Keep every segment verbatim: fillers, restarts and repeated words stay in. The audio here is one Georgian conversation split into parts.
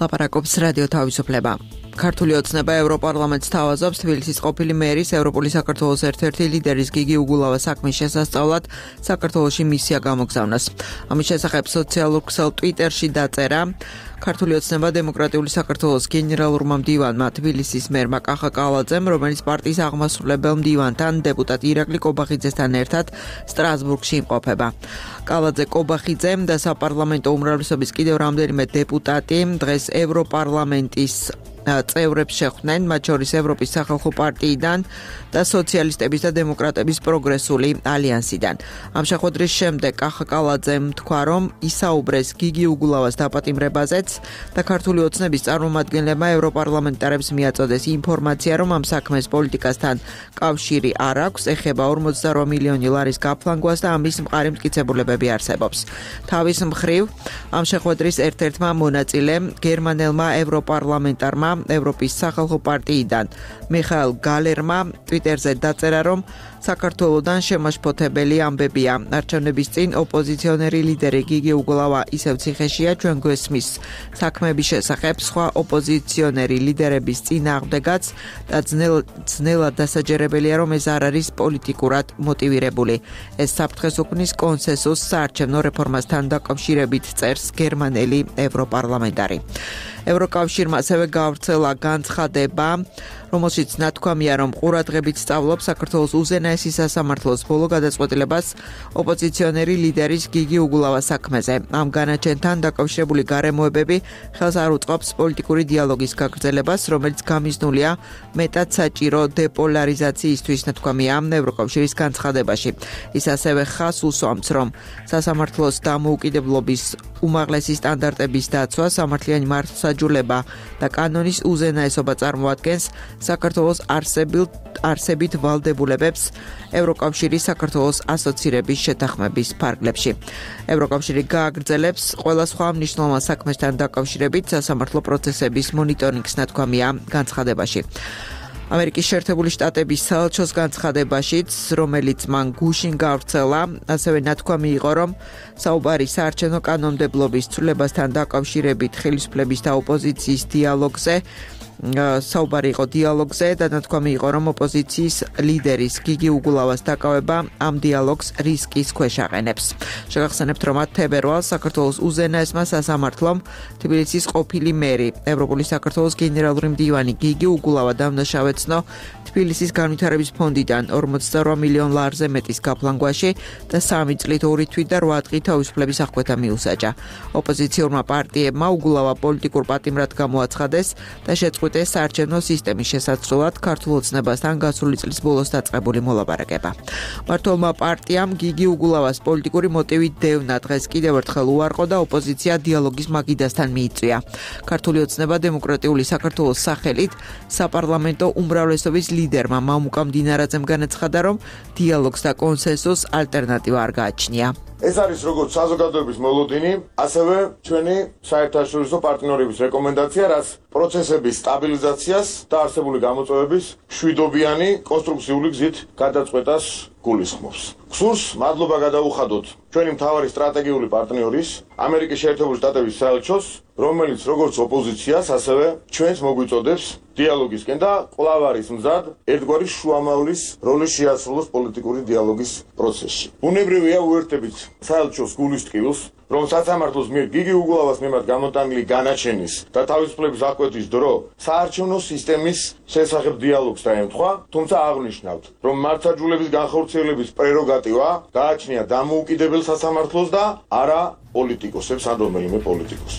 ლაპარაკობს რადიო თავისუფლება. ქართული ოცნება ევროპარლამენტს თავაზობს თბილისის ყოფილი მერის ევროპული საქართველოს ერთ-ერთი ლიდერის გიგი უგულავას საქმის შესასწავლად საქართველოში მისია გამოგზავნას. ამის შესახებ სოციალურ ქსელ ტვიტერში დაწერა ქართული ოცნება დემოკრატიული საქართველოს გენერალურმა მდივანმა თბილისის მერმა კახა კალაძემ, რომელიც პარტიის აღმასრულებელ მდივანთან დეპუტატ ირაკლი კობახიძესთან ერთად სტრასბურგში იმყოფება. კალაძე, კობახიძე და საპარლამენტო უმრავლესობის კიდევ რამდენიმე დეპუტატი დღეს ევროპარლამენტის წევრებს შეხვდნენ, მათ შორის ევროპის სახალხო პარტიიდან და სოციალისტების და დემოკრატების პროგრესული ალიანსიდან. ამ შეხვედრის შემდეგ კახა კალაძემ თქვა, რომ ისაუბრეს გიგი უგულავას დაპატიმრებაზეც და ქართული ოცნების წარმომადგენლებმა ევროპარლამენტარებს მიაწოდეს ინფორმაცია, რომ ამ საქმეს პოლიტიკასთან კავშირი არ აქვს, ეხება ორმოცდარვა მილიონი ლარის გაფლანგვას და ამის მყარი მტკიცებულებები არსებობს. თავის მხრივ, ამ შეხვედრის ერთ-ერთმა მონაწილემ გერმანელმა ევროპარლამენტარმა ევროპის სახალხო პარტიიდან მიხაილ გალერმა ტვიტერზე დაწერა, რომ საქართველოდან შემაშფოთებელი ამბებია. არჩევნების წინ ოპოზიციონერი ლიდერი გიგი უგულავა ისევ ციხეშია, ჩვენ გვესმის საქმეების შესახებ სხვა ოპოზიციონერი ლიდერების წინააღმდეგაც და ძნელად დასაჯერებელია, რომ ეს არ არის პოლიტიკურად მოტივირებული. ეს საფრთხეს უქმნის კონსენსუსს საარჩევნო რეფორმასთან დაკავშირებით, წერს გერმანელი ევროპარლამენტარი. ევროკავშირმა ასევე გავრცელა განცხადება, რომელშიც ნათქვამია, რომ ყურადღებით სწავლობს საქართველოს უზენაესი სასამართლოს ბოლო გადაწყვეტილებას ოპოზიციონერი ლიდერის გიგი უგულავას საქმეზე. ამ განაჩენთან დაკავშირებული გარემოებები ხელს არ უწყობს პოლიტიკური დიალოგის გაგრძელებას, რომელიც გამიზნულია მეტად საჭირო დეპოლარიზაციისთვის, ნათქვამია ევროკავშირის განცხადებაში. ის ასევე ხაზს უსვამს, რომ სასამართლოს დამოუკიდებლობის უმაღლესი სტანდარტების დაცვა, სამართლიანი მართლმსაჯულება და კანონის უზენაესობა წარმოადგენს საქართველოს არსებით ვალდებულებებს ევროკავშირის საქართველოს ასოცირების შეთანხმების ფარგლებში. ევროკავშირი გააგრძელებს ყველა სხვა მნიშვნელოვან საქმესთან დაკავშირებით სასამართლო პროცესების მონიტორინგს, ნათქვამია განცხადებაში. ამერიკის შეერთებული შტატების საელჩოს განცხადებაშიც, რომელიც მან გუშინ გავრცელა, ასევე ნათქვამი იყო, რომ საუბარი საარჩევნო კანონმდებლობის ცვლილებასთან დაკავშირებით ხელისუფლების და ოპოზიციის დიალოგზე საუბარი იყო დიალოგზე და ნათქვამი იყო, რომ ოპოზიციის ლიდერის გიგი უგულავას დაკავება ამ დიალოგს რისკის ქვეშ აყენებს. შეგახსენებთ, რომ თებერვალს საქართველოს უზენაესმა სასამართლომ თბილისის ყოფილი მერი, ევროპული საქართველოს გენერალური მდივანი გიგი უგულავა დამნაშავეცნო თბილისის განვითარების ფონდიდან ორმოცდარვა მილიონ ლარზე მეტის გაფლანგვაში და სამი წლით ორი თვით და რვა დღით თავისუფლების აღკვეთა მიუსაჯა. ოპოზიციურმა პარტიებმა უგულავა პოლიტიკურ პატიმრად გამოაცხადეს და შეწყვიტეს საარჩევნო სისტემის შესაძლებლად ქართულ ოცნებასთან გასული წლის ბოლოს დაწყებული მოლაპარაკება. მმართველმა პარტიამ გიგი უგულავას პოლიტიკური მოტივით დევნა დღეს კიდევ ერთხელ უარყო და ოპოზიცია დიალოგის მაგიდასთან მიიწვია. ქართული ოცნება დემოკრატიული საქართველოს სახელით საპარლამენტო უმრავლესობის ლიდერმა მამუკა მდინარაძემ განაცხადა, რომ დიალოგს და კონსენსუსს ალტერნატივა არ გააჩნია. ეს არის როგორც საზოგადოების მოლოდინი, ასევე ჩვენი საერთაშორისო პარტნიორების რეკომენდაცია, რაც პროცესების სტაბილიზაციას და არსებული გამოწვევების მშვიდობიანი კონსტრუქციული გზით გადაწყვეტას გულისხმობს. გსურს მადლობა გადაუხადოთ ჩვენი მთავარი სტრატეგიული პარტნიორის, ამერიკის შეერთებული შტატების საელჩოს, რომელიც როგორც ოპოზიციას, ასევე ჩვენს მოგვიწოდებს დიალოგისკენ და კვლავ არის მზად ერთგვარი შუამავლის როლი შეასრულოს პოლიტიკური დიალოგის პროცესში. ბუნებრივია უერთებით საელჩოს გულის ტკივილს, რომ სასამართლოს მიერ გიგი უგულავას მიმართ გამოტანილი განაჩენის და თავისუფლების აღკვეთის დრო საარჩევნო სისტემის შესახებ დიალოგს დაემთხვა, თუმცა აღნიშნავთ, რომ მართლმსაჯულების განხორციელების პრეროგატივა გააჩნია დამოუკიდებელ სასამართლოს და არა პოლიტიკოსებს ან რომელიმე პოლიტიკოს.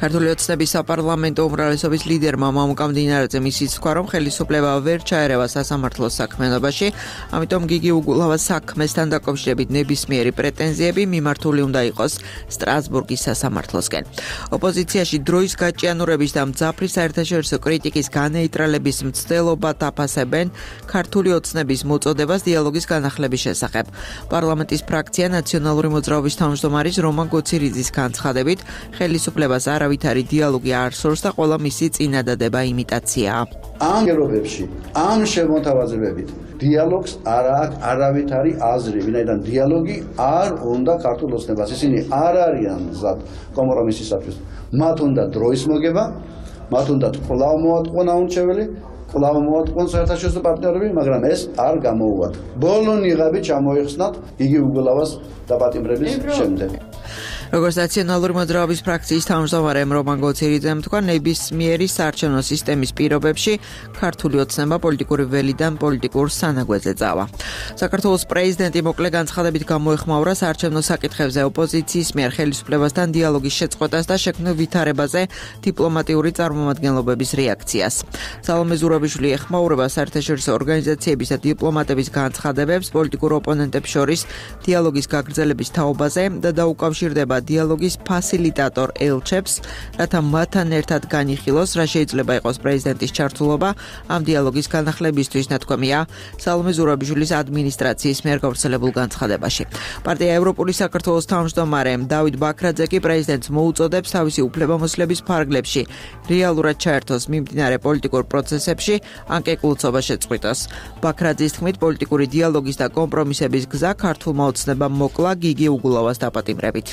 ქართული ოცნების საპარლამენტო უმრავლესობის ლიდერმა მამუკა მდინარაძემ ისიც თქვა, რომ ხელისუფლება ვერ ჩაერევა სასამართლოს საქმიანობაში, ამიტომ გიგი უგულავას საქმესთან დაკავშირებით ნებისმიერი პრეტენზიები მიმართული უნდა იყოს სტრასბურგის სასამართლოსკენ. ოპოზიციაში დროის გაჭიანურების და მძაფრი საერთაშორისო კრიტიკის განეიტრალების მცდელობა დაფასებენ ქართული ოცნების მოწოდებას დიალოგის განახლების შესახებ. პარლამენტის ფრაქცია ნაციონალური მოძრაობის თავმჯდომარის რომან გოცირიძის განცხადებით, ხელისუფლებას არავითარი დიალოგი არ სურს და ყველა მისი წინადადება იმიტაციაა. ამ გერობებში, ამ შემოთავაზებებით დიალოგს არ აქვს არავითარი აზრი, ვინაიდან დიალოგი არ უნდა ქართულ ოცნებას. ისინი არ არიან მზად კომპრომისისათვის. მათ უნდა დროის მოგება, მათ უნდა კვლავ მოატყუონ აუნჩეველი, კვლავ მოატყუონ საერთაშორისო პარტნიორები, მაგრამ ეს არ გამოუვათ. ბოლო ნიღაბი ჩამოიხსნათ იგი უგულავას დაპატიმრების შემდეგ. როგორც ნაციონალური მოძრაობის ფრაქციის თავმჯდომარე რომან გოცირიძემ თქვა, ნებისმიერი საარჩევნო სისტემის პირობებში ქართული ოცნება პოლიტიკური ველიდან პოლიტიკურ სანაგვეზე წავა. საქართველოს პრეზიდენტი მოკლე განცხადებით გამოეხმაურა საარჩევნო საკითხებზე ოპოზიციის მიერ ხელისუფლებასთან დიალოგის შეწყვეტას და შექმნილ ვითარებაზე დიპლომატიური წარმომადგენლობების რეაქციას. სალომე ზურაბიშვილი ეხმაურება საერთაშორისო ორგანიზაციების და დიპლომატების განცხადებებს პოლიტიკურ ოპონენტებს შორის დიალოგის გაგრძელების თაობაზე და დაუკავშირდება დიალოგის ფასილიტატორ ელჩებს, რათა მათთან ერთად განიხილოს, რა შეიძლება იყოს პრეზიდენტის ჩართულობა ამ დიალოგის განახლებისთვის, ნათქვამია სალომე ზურაბიშვილის ადმინისტრაციის მიერ გავრცელებულ განცხადებაში. პარტია ევროპული საქართველოს თავმჯდომარე დავით ბაქრაძე კი პრეზიდენტს მოუწოდებს თავისი უფლებამოსილების ფარგლებში რეალურად ჩაერთოს მიმდინარე პოლიტიკურ პროცესებში, ან კეკლუცობა შეწყვიტოს. ბაქრაძის თქმით, პოლიტიკური დიალოგის და კომპრომისების გზა ქართულმა ოცნებამ მოკლა გიგი უგულავას დაპატიმრებით.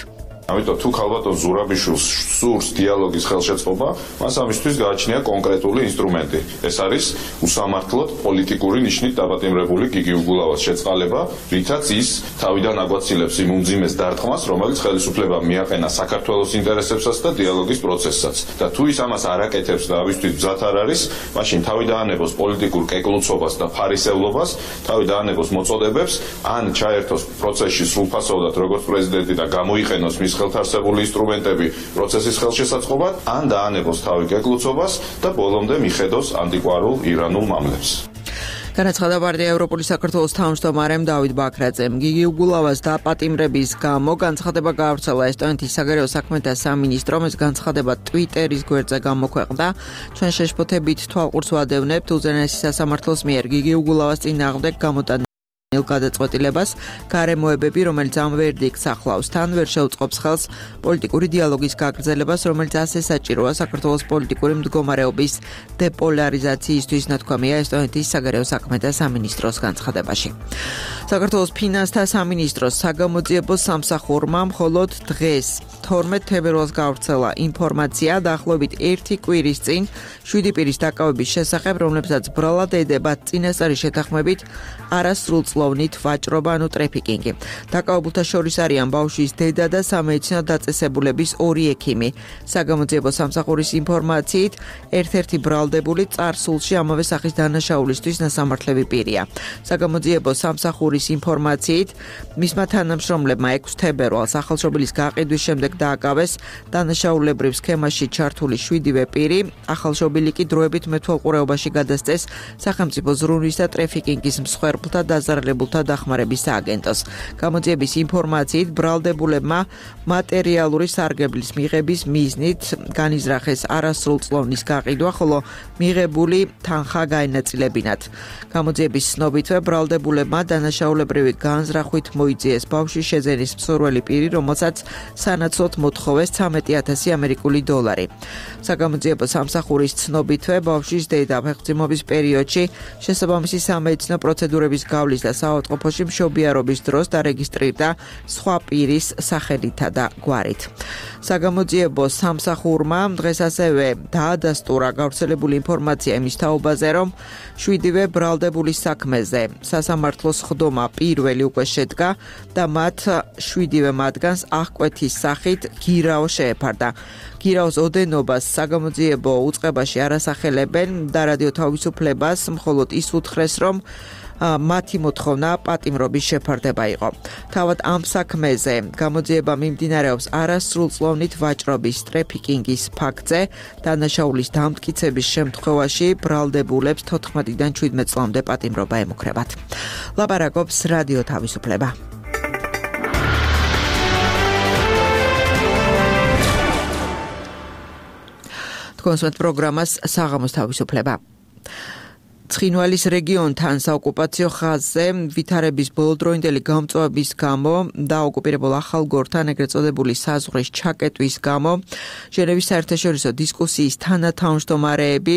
ამიტომ თუ ქალბატონ ზურაბიშვილს სურს დიალოგის ხელშეწყობა, მას ამისთვის გააჩნია კონკრეტული ინსტრუმენტი. ეს არის უსამართლოდ პოლიტიკური ნიშნით დაპატიმრებული გიგი უგულავას შეწყალება, რითაც ის თავიდან აგვაცილებს იმ უმძიმეს დარტყმას, რომელიც ხელისუფლებამ მიაყენა საქართველოს ინტერესებსაც და დიალოგის პროცესსაც. და თუ ის ამას არ აკეთებს და ამისთვის მზად არ არის, მაშინ თავი დაანებოს პოლიტიკურ კეკლუცობას და ფარისევლობას, თავი დაანებოს მოწოდებებს, ან ჩაერთოს პროცესში სრულფასოვნად როგორც პრეზიდენტი და გამოიყენოს მის ხელთარსებული ინსტრუმენტები პროცესის ხელშესაწყობად, ან დაანებოს თავი კეკლუცობას და ბოლომდე მიხედოს ანტიკვარულ ირანულ მამლებს. განაცხადა პარტია ევროპული საქართველოს თავმჯდომარემ დავით ბაქრაძემ. გიგი უგულავას დაპატიმრების გამო განცხადება გაავრცელა ესტონეთის საგარეო საქმეთა სამინისტრომ. ეს განცხადება ტვიტერის გვერდზე გამოქვეყნდა. ჩვენ შეშფოთებით თვალყურს ვადევნებთ უზენაესი სასამართლოს მიერ გიგი უგულავას წინააღმდეგ გამოტანილ გადაწყვეტილებას, გარემოებები, რომელიც ამ ვერდიქტს ახლავს, თან ვერ შეუწყობს ხელს პოლიტიკური დიალოგის გაგრძელებას, რომელიც ასე საჭიროა საქართველოს პოლიტიკური მდგომარეობის დეპოლარიზაციისთვის, ნათქვამია ესტონეთის საგარეო საქმეთა სამინისტროს განცხადებაში. საქართველოს ფინანსთა სამინისტროს საგამოძიებო სამსახურმა მხოლოდ დღეს თორმეტ თებერვალს გავრცელა ინფორმაცია დაახლოებით ერთი კვირის წინ შვიდი პირის დაკავების შესახებ, რომლებსაც ბრალად ედება წინასწარი შეთანხმებით არასრულწლოვნით ვაჭრობა, ანუ ტრეფიკინგი. დაკავებულთა შორის არიან ბავშვის დედა და სამედიცინო დაწესებულების ორი ექიმი. საგამოძიებო სამსახურის ინფორმაციით, ერთ-ერთი ბრალდებული წარსულში ამავე სახის დანაშაულისთვის ნასამართლები პირია. საგამოძიებო სამსახურის ინფორმაციით, მისმა თანამშრომლებმა ექვსი თებერვალს ახალშობილის გაყიდვის შემდეგ დააკავეს დანაშაულებრივ სქემაში ჩართული შვიდივე პირი, ახალშობილი კი დროებით მეთვალყურეობაში გადასცეს სახელმწიფო ზრუნვის და ტრეფიკინგის მსხვერპლთა დაზარალებულთა დახმარების სააგენტოს. გამოძიების ინფორმაციით, ბრალდებულებმა მატერიალური სარგებლის მიღების მიზნით განიზრახეს არასრულწლოვნის გაყიდვა, ხოლო მიღებული თანხა გაენაწილებინათ. გამოძიების ცნობითვე, ბრალდებულებმა დანაშაულებრივი განზრახვით მოიძიეს ბავშვის შეძენის მსურველი პირი, რომელსაც სანაცვლოდ მოთხოვეს ცამეტი ათასი ამერიკული დოლარი. საგამოძიებო სამსახურის ცნობითვე, ბავშვის დედა ფეხმძიმობის პერიოდში შესაბამისი სამედიცინო პროცედურების გავლის და საავადმყოფოში მშობიარობის დროს დარეგისტრირდა სხვა პირის სახელითა და გვარით. საგამოძიებო სამსახურმა დღეს ასევე დაადასტურა გავრცელებული ინფორმაცია იმის თაობაზე, რომ შვიდივე ბრალდებულის საქმეზე სასამართლოს ხდომა პირველი უკვე შედგა და მათ შვიდივე მათგანს აღკვეთის სახით გირაო შეეფარდა. გირაოს ოდენობას საგამოძიებო უწყებაში არასახელებენ და რადიო თავისუფლებას მხოლოდ ის უთხრეს, რომ მათი მოთხოვნა პატიმრობის შეფარდება იყო. თავად ამ საქმეზე გამოძიება მიმდინარეობს არასრულწლოვნით ვაჭრობის ტრეფიკინგის ფაქტზე, დანაშაულის დამტკიცების შემთხვევაში ბრალდებულებს თოთხმეტიდან შვიდმეტ წლამდე პატიმრობა ემუქრებათ. ლაპარაკობს რადიო თავისუფლება. თქვენს პროგრამას საღამოს თავისუფლება. ცხინვალის რეგიონთან საოკუპაციო ხაზზე ვითარების ბოლოდროინდელი გამწვავების გამო და ოკუპირებულ ახალგორთან ეგრეთ წოდებული საზღვრის ჩაკეტვის გამო ჟენევის საერთაშორისო დისკუსიის თანათავმჯდომარეები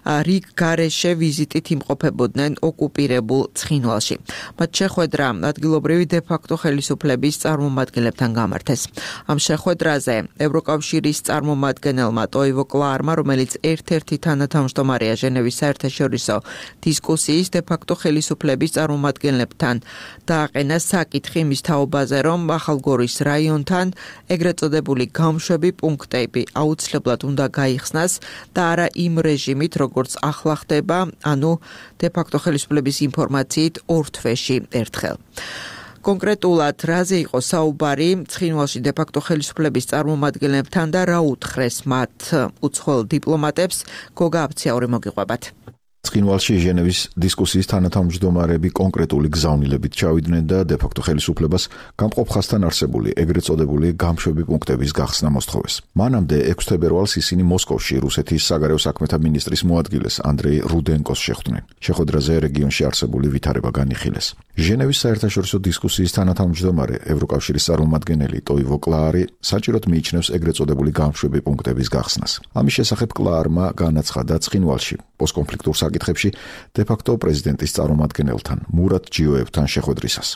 რიგ გარეშე ვიზიტით იმყოფებოდნენ ოკუპირებულ ცხინვალში. მათ შეხვედრა ადგილობრივი დე-ფაქტო ხელისუფლების წარმომადგენლებთან გამართეს. ამ შეხვედრაზე ევროკავშირის წარმომადგენელმა ტოივო კლარმა, რომელიც ერთ-ერთი თანათავმჯდომარეა ჟენევის საერთაშორისო დისკუსიის დე-ფაქტო ხელისუფლების წარმომადგენლებთან, დააყენა საკითხი მის თაობაზე, რომ ახალგორის რაიონთან ეგრეთ წოდებული გამშვები პუნქტები აუცილებლად უნდა გაიხსნას და არა იმ რეჟიმით, როგორც ახლა ხდება, ანუ დე-ფაქტო ხელისუფლების ინფორმაციით ორ თვეში ერთხელ. კონკრეტულად რაზე იყო საუბარი ცხინვალში დე-ფაქტო ხელისუფლების წარმომადგენლებთან და რა უთხრეს მათ უცხოელ დიპლომატებს, გოგა აბციაური მოგიყვებათ. ცხინვალში ჟენევის დისკუსიის თანათავმჯდომარეები კონკრეტული გზავნილებით ჩავიდნენ და დე-ფაქტო ხელისუფლებას გამყოფ ხაზთან არსებული ეგრეთ წოდებული გამშვები პუნქტების გახსნა მოსთხოვეს. მანამდე ექვსი თებერვალს ისინი მოსკოვში რუსეთის საგარეო საქმეთა მინისტრის მოადგილეს ანდრეი რუდენკოს შეხვდნენ. შეხვედრაზე რეგიონში არსებული ვითარება განიხილეს. ჟენევის საერთაშორისო დისკუსიის თანათავმჯდომარე ევროკავშირის წარმომადგენელი ტოივო კლარი საჭიროდ მიიჩნევს ეგრეთ წოდებული გამშვები პუნქტების გახსნას. ამის შესახებ კლარმა განაცხადა ცხინვალში პოსტკონფლიქტურ საკითხებში დე-ფაქტო პრეზიდენტის წარმომადგენელთან მურატ ჯიოევთან შეხვედრისას.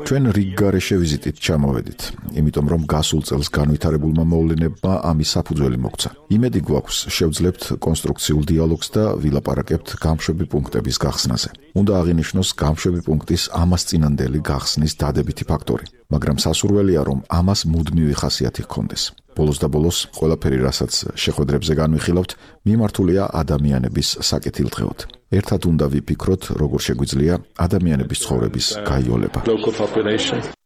ჩვენ რიგგარეშე ვიზიტით ჩამოვედით, იმიტომ რომ გასულ წელს განვითარებულმა მოვლენებმა ამის საფუძველი მოგცა. იმედი გვაქვს, შევძლებთ კონსტრუქციულ დიალოგს და ვილაპარაკებთ გამშვები პუნქტების გახსნაზე. უნდა აღინიშნოს გამშვები პუნქტის ამასწინანდელი გახსნის დადებითი ფაქტორი, მაგრამ სასურველია, რომ ამას მუდმივი ხასიათი ჰქონდეს. ბოლოს და ბოლოს ყველაფერი, რასაც შეხვედრებზე განვიხილავთ, მიმართულია ადამიანების საკეთილდღეოდ. ერთად უნდა ვიფიქროთ, როგორ შეგვიძლია ადამიანების ცხოვრების გაიოლება.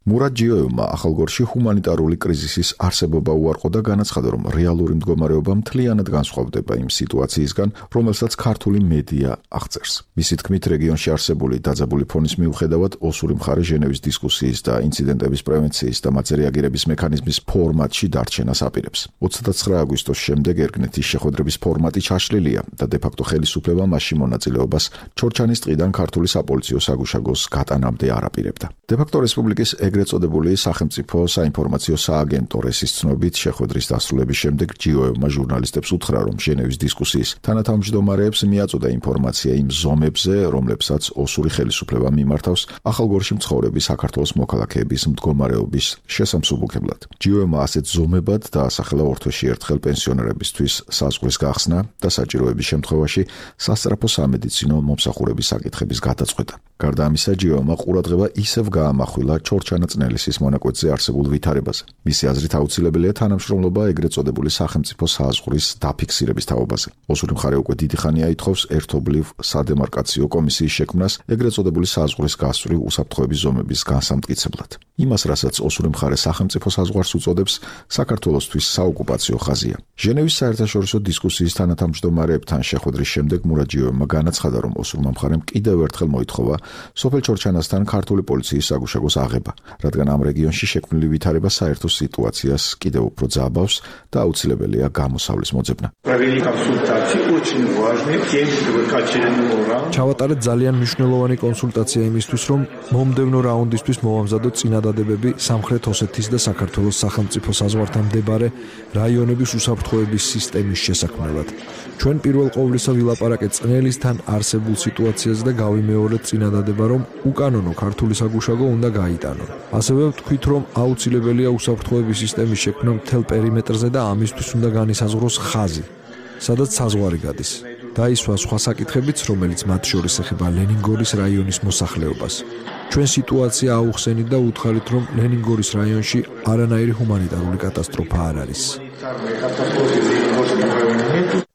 მურატ ჯიოევმა ახალგორში ჰუმანიტარული კრიზისის არსებობა უარყო და განაცხადა, რომ რეალური მდგომარეობა მთლიანად განსხვავდება იმ სიტუაციისგან, რომელსაც ქართული მედია აღწერს. მისი თქმით, რეგიონში არსებული დაძაბული ფონის მიუხედავად, ოსური მხარე ჟენევის დისკუსიის და ინციდენტების პრევენციის და მათზე რეაგირების მექანიზმის ფორმატში დარჩენას აპირებს. ოცდათცხრა აგვისტოს შემდეგ ერგნეთის შეხვედრების ფორმატი ჩაშლილია და დე-ფაქტო ხელისუფლება მასში მონაწილეობას ჩორჩანის ტყიდან ქართული საპოლიციო საგუშაგოს გატანამდე არ აპირებდა. დე-ფაქტო რესპუბლიკის ეგრეთ წოდებული სახელმწიფო საინფორმაციო სააგენტო რესის ცნობით შეხვედრის დასრულების შემდეგ ჯიოევმა ჟურნალისტებს უთხრა, რომ ჟენევის დისკუსიის თანათავმჯდომარეებს მიაწოდა ინფორმაცია იმ ზომებზე, რომლებსაც ოსური ხელისუფლება მიმართავს ახალგორში მცხოვრები საქართველოს მოქალაქეების მდგომარეობის შესამსუბუქებლად. ჯიოევმა ასეთ ზომებად დაასახელა ორ თვეში ერთხელ პენსიონერებისთვის საზღვრის გახსნა და საჭიროების შემთხვევაში სასწრაფო სამედიცინო მომსახურების საკითხების გადაწყვეტა. გარდა ამისა, ჯიოევმა ყურადღება ისევ გაამახვილა ჩორჩანა წნელისის მონაკვეთზე არსებულ ვითარებაზე. მისი აზრით აუცილებელია თანამშრომლობა ეგრეთ წოდებული სახელმწიფო საზღვრის დაფიქსირების თაობაზე. ოსური მხარე უკვე დიდი ხანია ითხოვს ერთობლივ სადემარკაციო კომისიის შექმნას ეგრეთ წოდებული საზღვრის გასწვრივ უსაფრთხოების ზომების განსამტკიცებლად. იმას, რასაც ოსური მხარე სახელმწიფო საზღვარს უწოდებს, საქართველოსთვის საოკუპაციო ხაზია. ჟენევის საერთაშორისო დისკუსიის თანათავმჯდომარეებთან შეხვედრის შემდეგ მურატ ჯიოევმა განაცხადა, რომ ოსურმა მხარემ კიდევ ერთხელ მოითხოვა სოფელ ჩორჩანასთან ქართული პოლიციის საგუშაგოს აღება, რადგან ამ რეგიონში შექმნილი ვითარება საერთო სიტუაციას კიდევ უფრო ძაბავს და აუცილებელია გამოსავლის მოძებნა. ჩავატარეთ ძალიან მნიშვნელოვანი კონსულტაცია იმისთვის, რომ მომდევნო რაუნდისთვის მოვამზადოთ წინადადებები სამხრეთ ოსეთის და საქართველოს სახელმწიფო საზღვართან მდებარე რაიონების უსაფრთხოების სისტემის შესაქმნელად. ჩვენ პირველ ყოვლისა ვილაპარაკეთ წნელისთან არსებულ სიტუაციაზე და გავიმეორეთ წინადადება, რომ უკანონო ქართული საგუშაგო უნდა გაიტანონ. ასევე ვთქვით, რომ აუცილებელია უსაფრთხოების სისტემის შექმნა მთელ პერიმეტრზე და ამისთვის უნდა განისაზღვროს ხაზი, სადაც საზღვარი გადის. დაისვა სხვა საკითხებიც, რომელიც მათ შორის ეხება ლენინგორის რაიონის მოსახლეობას. ჩვენ სიტუაცია აუხსენით და უთხარით, რომ ლენინგორის რაიონში არანაირი ჰუმანიტარული კატასტროფა არ არის.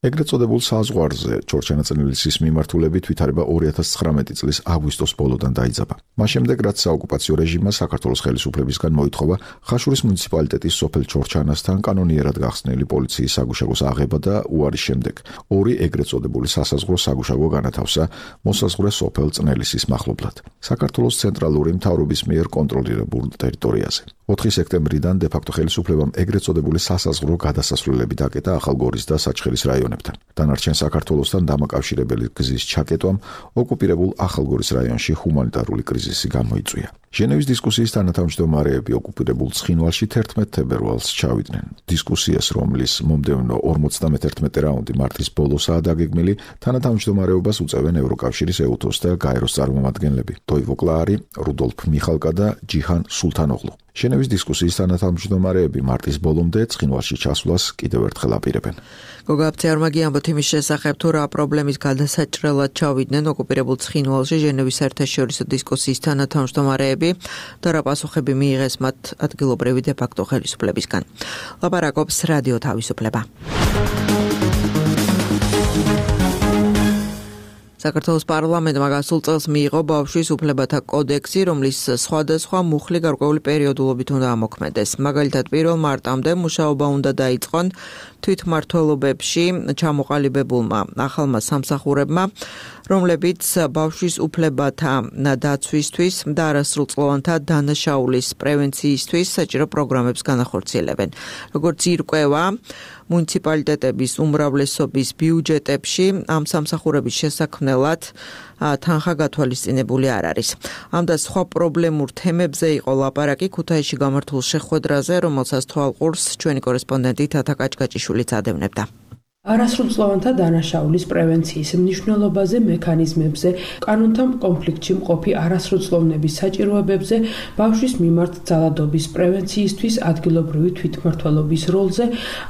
ეგრეთ წოდებულ საზღვარზე ჩორჩანა-წნელისის მიმართულებით ვითარება ორი ათას ცხრამეტი წლის აგვისტოს ბოლოდან დაიძაბა. მას შემდეგ, რაც საოკუპაციო რეჟიმმა საქართველოს ხელისუფლებისგან მოითხოვა ხაშურის მუნიციპალიტეტის სოფელ ჩორჩანასთან კანონიერად გახსნილი პოლიციის საგუშაგოს აღება და უარის შემდეგ ორი ეგრეთ წოდებული სასაზღვრო საგუშაგო განათავსა მოსაზღვრე სოფელ წნელისის მახლობლად, საქართველოს ცენტრალური მთავრობის მიერ კონტროლირებულ ტერიტორიაზე. ოთხი სექტემბრიდან დე-ფაქტო ხელისუფლებამ ეგრეთ წოდებული სასაზღვრო გადასასვლელები დაკეტა ახალგორის და საჩხერის რაიონებთან. დანარჩენ საქართველოსთან დამაკავშირებელი გზის ჩაკეტვამ ოკუპირებულ ახალგორის რაიონში ჰუმანიტარული კრიზისი გამოიწვია. ჟენევის დისკუსიის თანათავმჯდომარეები ოკუპირებულ ცხინვალში თერთმეტ თებერვალს ჩავიდნენ. დისკუსიას, რომლის მომდევნო ორმოცდამეთერთმეტე რაუნდი მარტის ბოლოსაა დაგეგმილი, თანათავმჯდომარეობას უწევენ ევროკავშირის ეუთოს და გაეროს წარმომადგენლები დოივო კლაარი, რუდოლფ მიხალკა და ჯიჰან სულთანოღლუ. ჟენევის დისკუსიის თანათავმჯდომარეები მარტის ბოლომდე ცხინვალში ჩასვლას კიდევ ერთხელ აპირებენ. გოგა აფციარმაგი ამბობთ იმის შესახებ, თუ რა პრობლემის გადასაჭრელად ჩავიდნენ ოკუპირებულ ცხინვალში ჟენევის საერთაშორისო დისკუსიის თანათავმჯდომარეები და რა პასუხები მიიღეს მათ ადგილობრივი დე-ფაქტო ხელისუფლებისგან. ლაპარაკობს რადიო თავისუფლება. საქართველოს პარლამენტმა გასულ წელს მიიღო ბავშვის უფლებათა კოდექსი, რომლის სხვადასხვა მუხლი გარკვეული პერიოდულობით უნდა ამოქმედეს. მაგალითად, პირველ მარტამდე მუშაობა უნდა დაიწყონ თვითმმართველობებში ჩამოყალიბებულმა ახალმა სამსახურებმა, რომლებიც ბავშვის უფლებათა დაცვისთვის და არასრულწლოვანთა დანაშაულის პრევენციისთვის საჭირო პროგრამებს განახორციელებენ. როგორც ირკვევა, მუნიციპალიტეტების უმრავლესობის ბიუჯეტებში ამ სამსახურების შესაქმნელად თანხა გათვალისწინებული არ არის. ამ და სხვა პრობლემურ თემებზე იყო ლაპარაკი ქუთაისში გამართულ შეხვედრაზე, რომელსაც თვალყურს ჩვენი კორესპონდენტი თათა კაჭკაჭიშვილიც ადევნებდა. არასრულწლოვანთა დანაშაულის პრევენციის მნიშვნელობაზე, მექანიზმებზე, კანონთან კონფლიქტში მყოფი არასრულწლოვნების საჭიროებებზე, ბავშვის მიმართ ძალადობის პრევენციისთვის, ადგილობრივი თვითმმართველობის როლზე,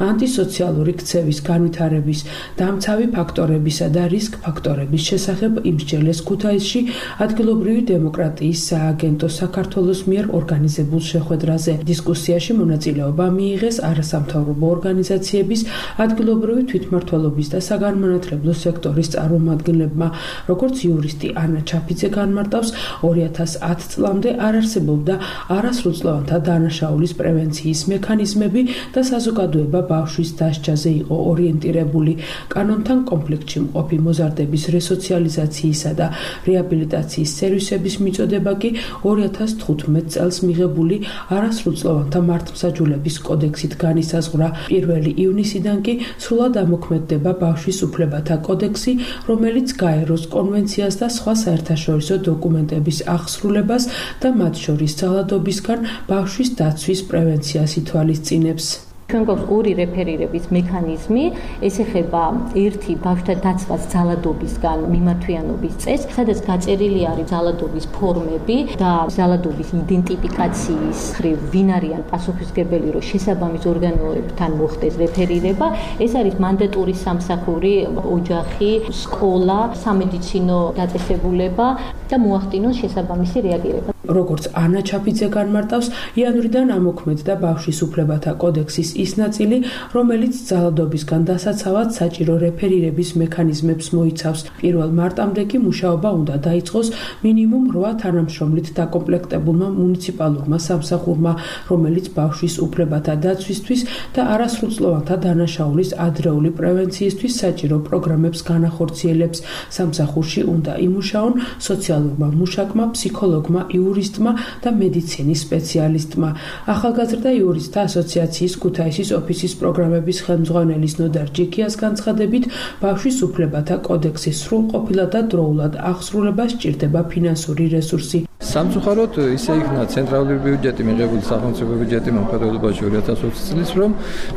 ანტისოციალური ქცევის განვითარების, დამცავი ფაქტორებისა და რისკ ფაქტორების შესახებ იმსჯელეს ქუთაისში ადგილობრივი დემოკრატიის სააგენტო საქართველოს მიერ ორგანიზებულ შეხვედრაზე. დისკუსიაში მონაწილეობა მიიღეს არასამთავრობო ორგანიზაციების, ადგილობრივი თვითმმართველობის და საგანმანათლებლო სექტორის წარმომადგენლებმა. როგორც იურისტი ანა ჩაფიძე განმარტავს, ორი ათას ათ წლამდე არ არსებობდა არასრულწლოვანთა დანაშაულის პრევენციის მექანიზმები და საზოგადოება ბავშვის დასჯაზე იყო ორიენტირებული. კანონთან კონფლიქტში მყოფი მოზარდების რესოციალიზაციისა და რეაბილიტაციის სერვისების მიწოდება კი ორი ათას თხუთმეტ წელს მიღებული არასრულწლოვანთა მართლმსაჯულების კოდექსით განისაზღვრა. პირველი ივნისიდან კი სრულად ამოქმედდება ბავშვის უფლებათა კოდექსი, რომელიც გაეროს კონვენციას და სხვა საერთაშორისო დოკუმენტების აღსრულებას და მათ შორის ძალადობისგან ბავშვის დაცვის პრევენციას ითვალისწინებს. ჩვენ გვაქვს ორი რეფერირების მექანიზმი, ეს ეხება ერთი ბავშვთა დაცვას ძალადობისგან მიმართვიანობის წესს, სადაც გაწერილი არის ძალადობის ფორმები და ძალადობის იდენტიფიკაციის ხრივ ვინ არიან პასუხისმგებელი, რომ შესაბამის ორგანოებთან მოხდეს რეფერირება. ეს არის მანდატური სამსახური, ოჯახი, სკოლა, სამედიცინო დაწესებულება და მოახდინოს შესაბამისი რეაგირება. როგორც ანა ჩაფიძე განმარტავს, იანვრიდან ამოქმედდა ბავშვის უფლებათა კოდექსის ის ნაწილი, რომელიც ძალადობისგან დასაცავად საჭირო რეფერირების მექანიზმებს მოიცავს. პირველ მარტამდე კი მუშაობა უნდა დაიწყოს მინიმუმ რვა თანამშრომლით დაკომპლექტებულმა მუნიციპალურმა სამსახურმა, რომელიც ბავშვის უფლებათა დაცვისთვის და არასრულწლოვანთა დანაშაულის ადრეული პრევენციისთვის საჭირო პროგრამებს განახორციელებს. სამსახურში უნდა იმუშაონ სოციალურმა მუშაკმა, ფსიქოლოგმა, იურისტმა და მედიცინის სპეციალისტმა. ახალგაზრდა იურისტთა ასოციაციის ქუთაისის ოფისის პროგრამების ხელმძღვანელის ნოდარ ჯიქიას განცხადებით, ბავშვის უფლებათა კოდექსის სრულყოფილად და დროულად აღსრულებას სჭირდება ფინანსური რესურსი. სამწუხაროდ ისე იქნა ცენტრალური ბიუჯეტი მიღებული სახელმწიფო ბიუჯეტი მომხდარებობაში ორი ათას ოცი წლის რომ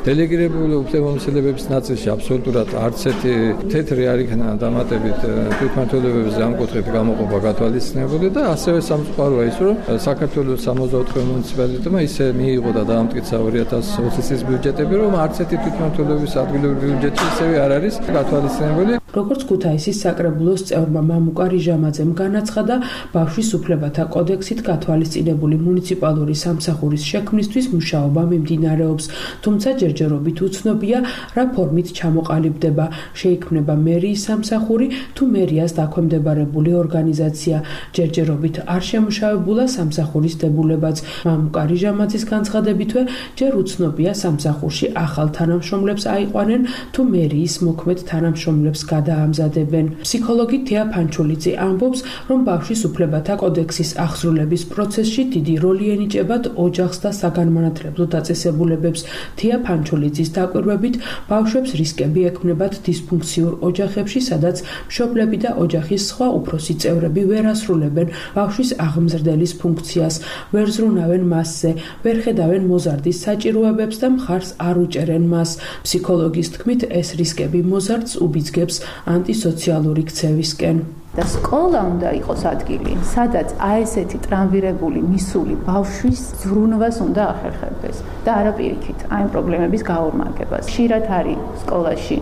დელეგირებული უფლებამოსილებების ნაწილში აბსოლუტურად არც ერთი თეთრი არ იქნა დამატებით თვითმმართველობების ამ კუთხით გამოყოფა გათვალისწინებული და ასევე სამწუხაროა ის რომ საქართველოს სამოცდაოთხი მუნიციპალიტეტმა ისე მიიღო და დაამტკიცა ორი ათას ოცი წლის ბიუჯეტები რომ არც ერთი თვითმმართველობის ადგილობრივი ბიუჯეტი ისევე არ არის გათვალისწინებული. როგორც ქუთაისის საკრებულოს წევრმა მამუკა რიჟამაძემ განაცხადა, ბავშვის უფლებათა კოდექსით გათვალისწინებული მუნიციპალური სამსახურის შექმნისთვის მუშაობა მიმდინარეობს, თუმცა ჯერჯერობით უცნობია, რა ფორმით ჩამოყალიბდება, შეიქმნება მერიის სამსახური თუ მერიას დაქვემდებარებული ორგანიზაცია. ჯერჯერობით არ შემუშავებულა სამსახურის დებულებაც. მამუკა რიჟამაძის განცხადებითვე, ჯერ უცნობია სამსახურში ახალ თანამშრომლებს აიყვანენ თუ მერიის მოქმედ თანამშრომლებს გადაამზადებენ. ფსიქოლოგი თეა ფანჩულიძე ამბობს, რომ ბავშვის უფლებათა კოდექსის აღსრულების პროცესში დიდი როლი ენიჭებათ ოჯახს და საგანმანათლებლო დაწესებულებებს. თეა ფანჩულიძის დაკვირვებით, ბავშვებს რისკები ექმნებათ დისფუნქციურ ოჯახებში, სადაც მშობლები და ოჯახის სხვა უფროსი წევრები ვერ ასრულებენ ბავშვის აღმზრდელის ფუნქციას, ვერ ზრუნავენ მასზე, ვერ ხედავენ მოზარდის საჭიროებებს და მხარს არ უჭერენ მას. ფსიქოლოგის თქმით, ეს რისკები მოზარდს უბიძგებს ანტისოციალური ქცევისკენ. და სკოლა უნდა იყოს ადგილი, სადაც აი ესეთი ტრამვირებული მისული ბავშვის ზრუნვას უნდა ახერხებდეს და არა პირიქით აი პრობლემების გაორმაგებას. ხშირად არის სკოლაში,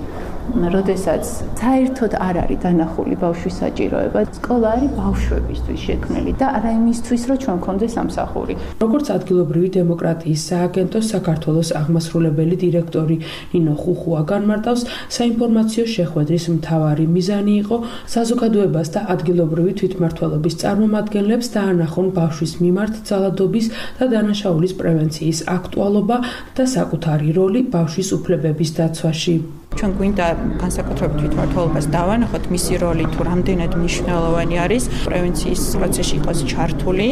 როდესაც საერთოდ არ არის დანახული ბავშვის საჭიროება. სკოლა არის ბავშვებისთვის შექმნილი და არა იმისთვის, რომ ჩვენ გქონდეს სამსახური. როგორც ადგილობრივი დემოკრატიის სააგენტოს საქართველოს აღმასრულებელი დირექტორი ნინო ხუხუა განმარტავს, საინფორმაციო შეხვედრის მთავარი მიზანი იყო საზოგადოებას და ადგილობრივი თვითმმართველობის წარმომადგენლებს დაანახონ ბავშვის მიმართ ძალადობის და დანაშაულის პრევენციის აქტუალობა და საკუთარი როლი ბავშვის უფლებების დაცვაში. ჩვენ გვინდა განსაკუთრებით თვითმმართველობას დავანახოთ მისი როლი თუ რამდენად მნიშვნელოვანი არის პრევენციის პროცესში იყოს ჩართული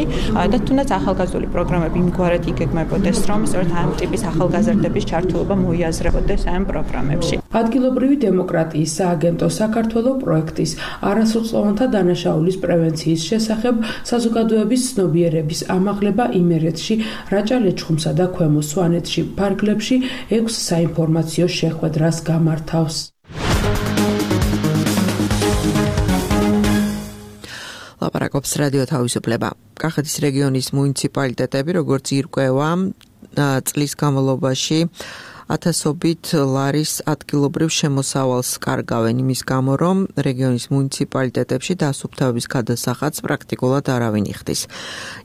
და თუნდაც ახალგაზრდული პროგრამები იმგვარად იგეგმებოდეს, რომ სწორედ ამ ტიპის ახალგაზრდების ჩართულობა მოიაზრებოდეს ამ პროგრამებში. ადგილობრივი დემოკრატიის სააგენტო საქართველოს პროექტის არასრულწლოვანთა დანაშაულის პრევენციის შესახებ საზოგადოების ცნობიერების ამაღლება იმერეთში, რაჭა-ლეჩხუმსა და ქვემო სვანეთში ფარგლებში ექვს საინფორმაციო შეხვედრას გამართავს. ლაპარაკობს რადიო თავისუფლება. კახეთის რეგიონის მუნიციპალიტეტები, როგორც ირკვევა, წლის განმავლობაში ათასობით ლარის ადგილობრივ შემოსავალს კარგავენ იმის გამო, რომ რეგიონის მუნიციპალიტეტებში დასუფთავების გადასახადს პრაქტიკულად არავინ იხდის.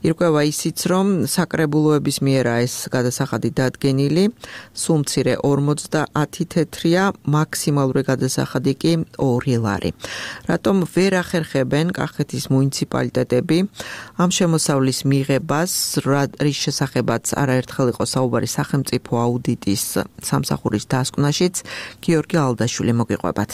ირკვევა ისიც, რომ საკრებულოების მიერაა ეს გადასახადი დადგენილი, სულ მცირე ორმოცდაათი თეთრია, მაქსიმალური გადასახადი კი ორი ლარი. რატომ ვერ ახერხებენ კახეთის მუნიციპალიტეტები ამ შემოსავლის მიღებას, რის შესახებაც არაერთხელ იყო საუბარი სახელმწიფო აუდიტის სამსახურის დასკვნაშიც, გიორგი ალდაშვილი მოგიყვებათ.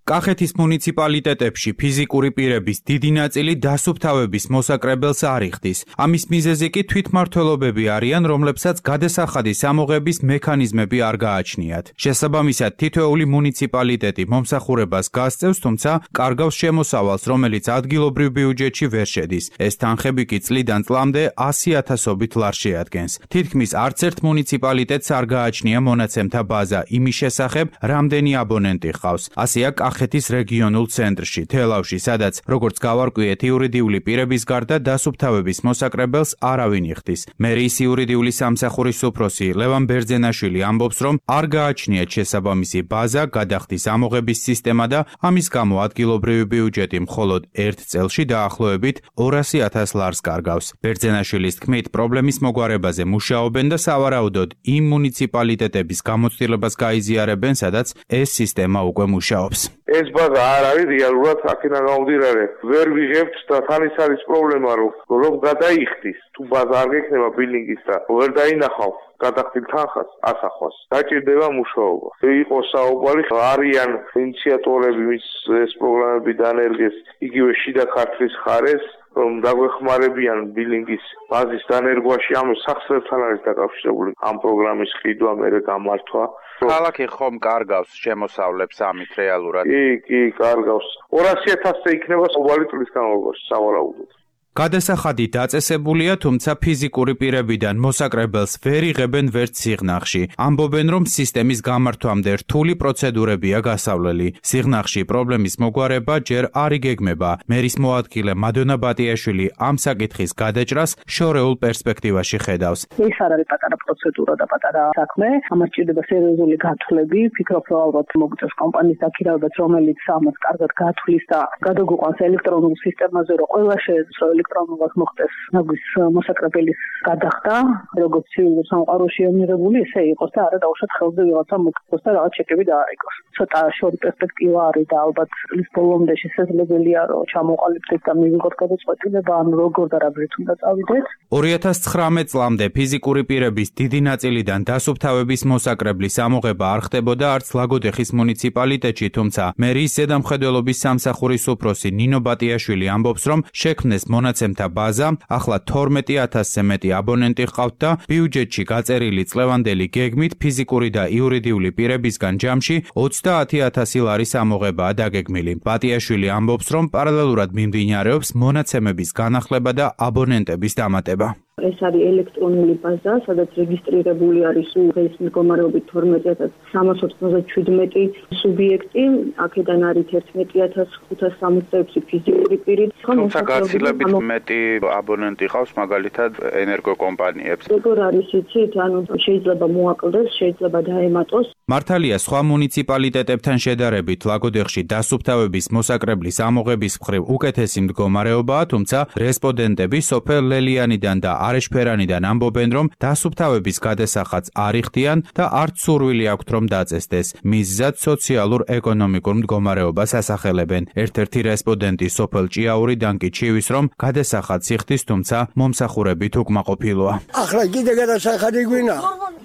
კახეთის მუნიციპალიტეტებში ფიზიკური პირების დიდი ნაწილი დასუფთავების მოსაკრებელს არ იხდის. ამის მიზეზი კი თვითმმართველობები არიან, რომლებსაც გადასახადის ამოღების მექანიზმები არ გააჩნიათ. შესაბამისად, თითოეული მუნიციპალიტეტი მომსახურებას გასწევს, თუმცა კარგავს შემოსავალს, რომელიც ადგილობრივ ბიუჯეტში ვერ შედის. ეს თანხები კი წლიდან წლამდე ასი ათასობით ლარს შეადგენს. თითქმის არც ერთ მუნიციპალიტეტს არ გააჩნია მონაცემთა ბაზა იმის შესახებ, რამდენი აბონენტი ჰყავს. ასეა კახეთის რეგიონულ ცენტრში, თელავში, სადაც, როგორც გავარკვიეთ, იურიდიული პირების გარდა დასუფთავების მოსაკრებელს არავინ იხდის. მერიის იურიდიული სამსახურის უფროსი ლევან ბერძენაშვილი ამბობს, რომ არ გააჩნიათ შესაბამისი ბაზა, გადახდის ამოღების სისტემა და ამის გამო ადგილობრივი ბიუჯეტი მხოლოდ ერთ წელში დაახლოებით ორასი ათას ლარს კარგავს. ბერძენაშვილის თქმით, პრობლემის მოგვარებაზე მუშაობენ და სავარაუდოდ იმ მუნიციპალიტეტების გამოცდილებას გაიზიარებენ, სადაც ეს სისტემა უკვე მუშაობს. ეს ბაზა არ არის რეალურად აქედან გამომდინარე. ვერ ვიღებთ და თან ის არის პრობლემა, რომ რომ გადაიხდის, თუ ბაზა არ გექნება ბილინგის და ვერ დაინახავ გადახდილ თანხას ასახვას. დაჭირდება მუშაობა. იყო საუბარი, არიან ინიციატორები, ვის ეს პროგრამები დანერგეს, იგივე შიდა ქართლის ხარეს, რომ დაგვეხმარებიან ბილინგის ბაზის დანერგვაში, ამ სახსრებთან არის დაკავშირებული ამ პროგრამის ყიდვა, მერე გამართვა. ქალაქი ხომ კარგავს შემოსავლებს ამით რეალურად? კი, კი, კარგავს. ორასი ათასზე იქნება ყოველი წლის განმავლობაში სავარაუდოდ. გადასახადი დაწესებულია, თუმცა ფიზიკური პირებიდან მოსაკრებელს ვერ იღებენ ვერც სიღნაღში. ამბობენ, რომ სისტემის გამართვამდე რთული პროცედურებია გასავლელი. სიღნაღში პრობლემის მოგვარება ჯერ არ იგეგმება. მერის მოადგილე მადონა ბატიაშვილი ამ საკითხის გადაჭრას შორეულ პერსპექტივაში ხედავს. ეს არ არის პატარა პროცედურა და პატარა საქმე. ამას ჭირდება სერიოზული გათვლები. ფიქრობ, რომ ალბათ მოგწევს კომპანიის დაქირავებაც, რომელიც ამას კარგად გათვლის და გადაგუყვანს ელექტრონულ სისტემაზე, რომ ყველა შეეძლო ელექტრონულად მოხდეს ნაგვის მოსაკრებელის გადახდა, როგორც ცივილურ სამყაროში ემიღებული, ისე იყოს და არა დაუშვათ ხელზე ვიღაცა მოკითხოს და რაღაც ჩეკები დააიგოს. ცოტა შორი პერსპექტივა არის და ალბათ წლის ბოლომდე შესაძლებელია რომ ჩამოყალიბდეთ და მივიღოთ გადაწყვეტილება, ან როგორ და რა ბრით უნდა წავიდეთ. ორი ათას ცხრამეტ წლამდე ფიზიკური პირების დიდი ნაწილიდან დასუფთავების მოსაკრებლის ამოღება არ ხდებოდა არც ლაგოდეხის მუნიციპალიტეტში, თუმცა მერიის ზედამხედველობის სამსახურის უფროსი ნინო ბატიაშვილი ამბობს, რომ შექმნეს მონაცემთა ბაზა, ახლა თორმეტი ათასზე მეტი აბონენტი ჰყავთ და ბიუჯეტში გაწერილი წლევანდელი გეგმით ფიზიკური და იურიდიული პირებისგან ჯამში ოცდაათი ათასი ლარის ამოღებაა დაგეგმილი. ბატიაშვილი ამბობს, რომ პარალელურად მიმდინარეობს მონაცემების განახლება და აბონენტების დამატება. ეს არის ელექტრონული ბაზა, სადაც რეგისტრირებული არის დღეს მდგომარეობით თორმეტი ათას სამას ოცდაშვიდმეტი სუბიექტი, აქედან არის ერთმეტი ათას ხუთას სამოცდაექვსი ფიზიკური პირი. თუმცა გაცილებით მეტი აბონენტი ყავს მაგალითად ენერგოკომპანიებს. როგორ არის იცით, ანუ შეიძლება მოაკლდეს, შეიძლება დაემატოს. მართალია, სხვა მუნიციპალიტეტებთან შედარებით ლაგოდეხში დასუფთავების მოსაკრებლის ამოღების მხრივ უკეთესი მდგომარეობაა, თუმცა რესპონდენტები სოფელ ლელიანიდან და არეშფერანიდან ამბობენ, რომ დასუფთავების გადასახადს არ იხდიან და არც სურვილი აქვთ, რომ დაწესდეს. მიზზად სოციალურ-ეკონომიკურ მდგომარეობას ასახელებენ. ერთ-ერთი რესპონდენტი სოფელ ჭიაურიდან კი ჩივის, რომ გადასახადს იხდის, თუმცა მომსახურებით უკმაყოფილოა. ახლა კიდე გადასახადი გვინა?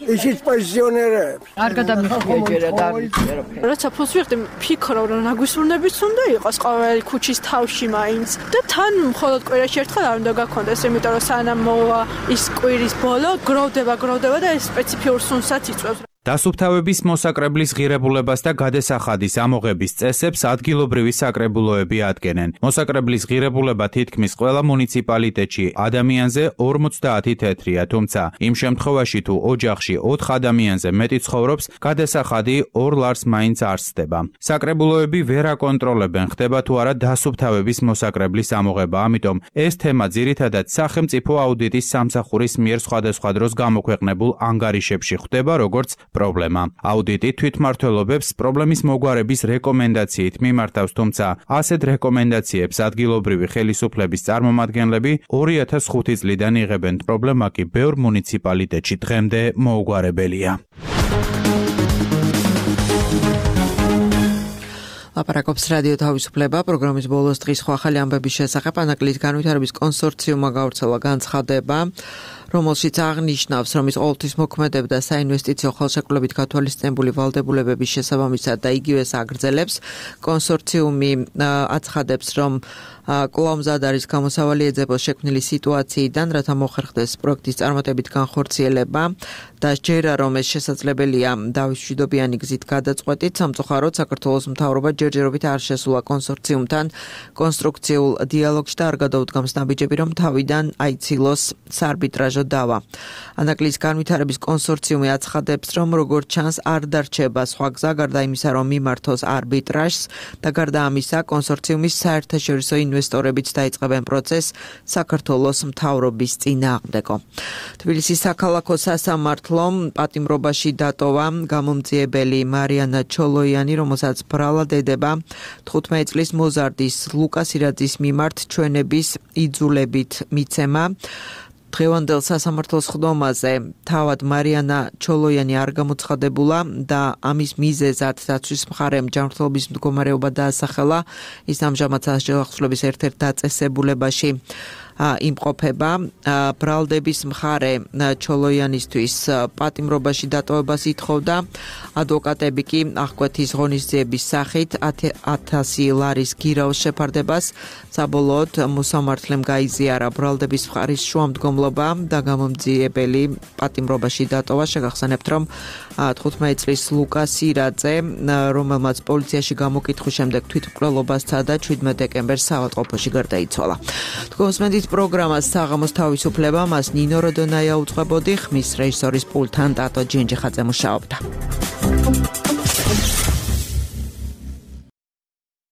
ისიც პენსიონერებს. არ გადამიხია ჯერა და არ ვიცი. როცა ფულს ვიხდი, ფიქრობ, რომ ნაგვისურნებიც უნდა იყოს ყოველი ქუჩის თავში მაინც და თან მხოლოდ კვირაში ერთხელ არ უნდა გაქონდეს, იმიტომ რომ სანამ მოვა ის კვირის ბოლო, გროვდება, გროვდება და ეს სპეციფიურ სუნსაც იწვევს. დასუფთავების მოსაკრებლის ღირებულებას და გადასახადის ამოღების წესებს ადგილობრივი საკრებულოები ადგენენ. მოსაკრებლის ღირებულება თითქმის ყველა მუნიციპალიტეტში ადამიანზე ორმოცდაათი თეთრია, თუმცა იმ შემთხვევაში თუ ოჯახში ოთხ ადამიანზე მეტი ცხოვრობს, გადასახადი ორ ლარს მაინც არ სდება. საკრებულოები ვერ აკონტროლებენ, ხდება თუ არა დასუფთავების მოსაკრებლის ამოღება, ამიტომ ეს თემა ძირითადად სახელმწიფო აუდიტის სამსახურის მიერ სხვადასხვა დროს გამოქვეყნებულ ანგარიშებში ხვდება, როგორც პრობლემა. აუდიტი თვითმმართველობებს პრობლემის მოგვარების რეკომენდაციით მიმართავს, თუმცა ასეთ რეკომენდაციებს ადგილობრივი ხელისუფლების წარმომადგენლები ორი ათას ხუთი წლიდან იღებენ. პრობლემა კი ბევრ მუნიციპალიტეტში დღემდე მოუგვარებელია. ლაპარაკობს რადიო თავისუფლება, პროგრამის ბოლოს დღის ხო ახალი ამბების შესახებ ანაკლიის განვითარების კონსორციუმმა გავრცელა განცხადება, რომელშიც აღნიშნავს, რომ ის ყოველთვის მოქმედებდა საინვესტიციო ხელშეკრულებით გათვალისწინებული ვალდებულებების შესაბამისად და იგივეს აგრძელებს. კონსორციუმი აცხადებს, რომ კვლავ მზად არის გამოსავალი ეძებოს შექმნილი სიტუაციიდან, რათა მოხერხდეს პროექტის წარმატებით განხორციელება და სჯერა, რომ ეს შესაძლებელია დავის მშვიდობიანი გზით გადაწყვეტით. სამწუხაროდ საქართველოს მთავრობა ჯერჯერობით არ შესულა კონსორციუმთან კონსტრუქციულ დიალოგში და არ გადაუდგამს ნაბიჯები, რომ თავიდან აიცილოს საარბიტრაჟო დავა. ანაკლიის განვითარების კონსორციუმი აცხადებს, რომ როგორც ჩანს არ დარჩება სხვა გზა გარდა იმისა, რომ მიმართოს არბიტრაჟს და გარდა ამისა კონსორციუმის საერთაშორისო ინვესტორებიც დაიწყებენ პროცესს საქართველოს მთავრობის წინააღმდეგო. თბილისის საქალაქო სასამართლომ პატიმრობაში დატოვა გამომძიებელი მარიანა ჩოლოიანი, რომელსაც ბრალად ედება თხუთმეტი წლის მოზარდის ლუკა სირაძის მიმართ ჩვენების იძულებით მიცემა. დღევანდელ სასამართლოს ხდომაზე თავად მარიანა ჩოლოიანი არ გამოცხადებულა და ამის მიზეზად დაცვის მხარემ ჯანმრთელობის მდგომარეობა დაასახელა. ის ამჟამად სასჯელახსნების ერთ-ერთ დაწესებულებაში იმყოფება. ბრალდების მხარე ჩოლოიანისთვის პატიმრობაში დატოვებას ითხოვდა. ადვოკატები კი აღკვეთის ღონისძიების სახით ათასი ლარის გირაოს შეფარდებას. საბოლოოდ მოსამართლემ გაიზიარა ბრალდების მხარის შუამდგომლობა და გამომძიებელი პატიმრობაში დატოვა. შეგახსენებთ, რომ თხუთმეტი წლის ლუკა სირაძე, რომელმაც პოლიციაში გამოკითხვის შემდეგ თვითმკვლელობა სცადა, შვიდმეტი დეკემბერს საავადმყოფოში გარდაიცვალა. თქვენს პროგრამას საღამოს თავისუფლება, მას ნინო როდონაია უწყებოდი, ხმის რეჟისორის პულტთან ტატო ჯენჯიხაძე მუშაობდა.